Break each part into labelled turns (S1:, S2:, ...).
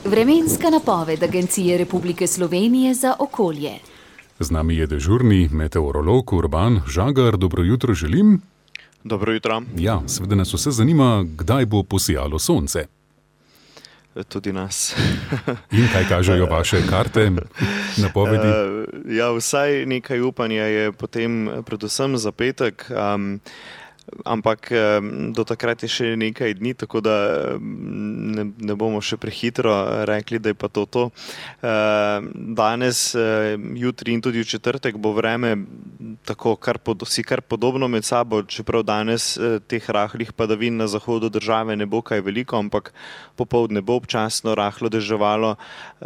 S1: Vremenska napoved Agencije Republike Slovenije za okolje.
S2: Z nami je dežurni meteorolog Urban Žagar. Dobro jutro želim.
S3: Dobro jutro.
S2: Ja, seveda nas vse zanima, kdaj bo posijalo sonce.
S3: Tudi nas.
S2: In kaj kažejo vaše karte, napovedi?
S3: Ja, vsaj nekaj upanja je potem predvsem za petek, ampak do takrat je še nekaj dni, tako da ne bomo še prehitro rekli, da je pa to. Danes, jutri in tudi v četrtek bo vreme tako kar podobno med sabo, čeprav danes teh rahlih padavin na zahodu države ne bo kaj veliko, ampak popoldne bo občasno rahlo deževalo.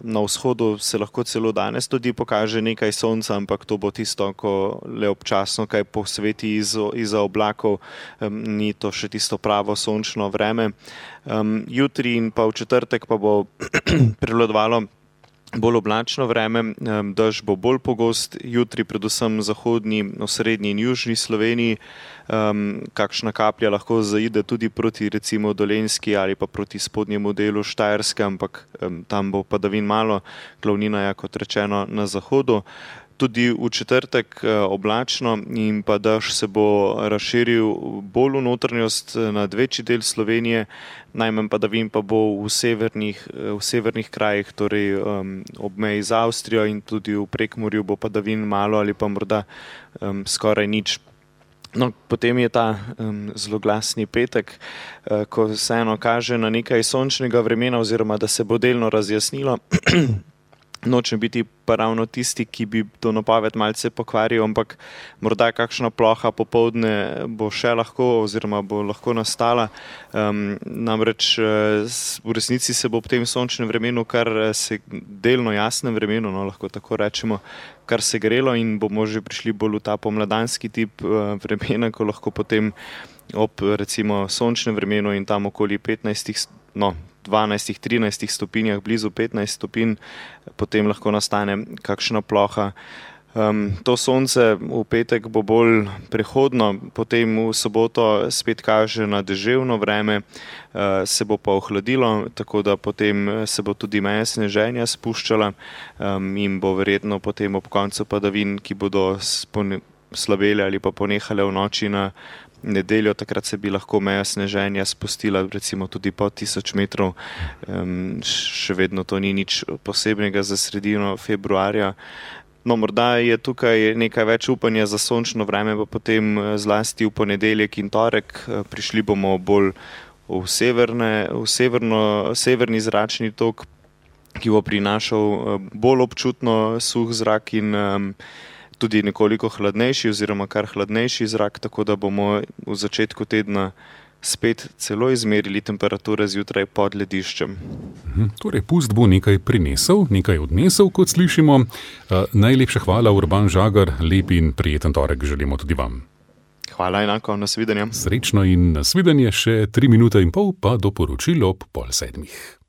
S3: Na vzhodu se lahko celo danes tudi pokaže nekaj sonca, ampak to bo tisto, ko le občasno kaj posveti izza oblakov. Ni to še tisto pravo sončno vreme. Jutri in pa v četrtek pa bo prevladovalo bolj oblačno vreme, dež bo bolj pogost, jutri predvsem zahodni, osrednji in južni Sloveniji. Kakšna kaplja lahko zaide tudi proti recimo Dolenjski ali pa proti spodnjemu delu Štajerske, ampak tam bo padavin malo, glavnina je, kot rečeno, na zahodu. Tudi v četrtek oblačno in pa dež se bo razširil bolj v notranjost nad večji del Slovenije, najmanj padavin pa bo v severnih krajih, torej ob meji z Avstrijo, in tudi v Prekmurju bo padavin malo ali pa morda skoraj nič. No, potem je ta zloglasni petek, ko vseeno kaže na nekaj sončnega vremena oziroma da se bo delno razjasnilo. Nočem biti pa ravno tisti, ki bi to napoved malce pokvaril, ampak morda kakšna ploha popoldne bo še lahko oziroma bo lahko nastala. Namreč v resnici se bo ob tem sončnem vremenu, kar se delno jasnem vremenu, no, lahko tako rečemo, kar se grelo in bomo že prišli bolj v ta pomladanski tip vremena, ko lahko potem ob recimo sončnem vremenu in tam okoli 12-13 stopinjah, blizu 15 stopinj, potem lahko nastane kakšna ploha. To sonce v petek bo bolj prehodno, potem v soboto spet kaže na deževno vreme, se bo pa ohladilo, tako da potem se bo tudi meja sneženja spuščala in bo verjetno potem ob koncu padavin, ki bodo slabele ali pa ponehale v noči na nedeljo, takrat se bi lahko meja sneženja spustila recimo tudi pod 1000 metrov. Še vedno to ni nič posebnega za sredino februarja. No, morda je tukaj nekaj več upanja za sončno vreme, pa potem zlasti v ponedeljek in torek. Prišli bomo bolj v severni zračni tok, ki bo prinašal bolj občutno suh zrak in tudi nekoliko hladnejši oziroma kar hladnejši zrak, tako da bomo v začetku tedna spet celo izmerili temperature zjutraj pod lediščem.
S2: Torej, pust bo nekaj prinesel, nekaj odnesel, kot slišimo. Najlepša hvala, Urban Žagar, lep in prijeten torek želimo tudi vam.
S3: Hvala enako, nasvidenje.
S2: Srečno in nasvidenje, še 3 minute in pol pa do poročil ob 6:30.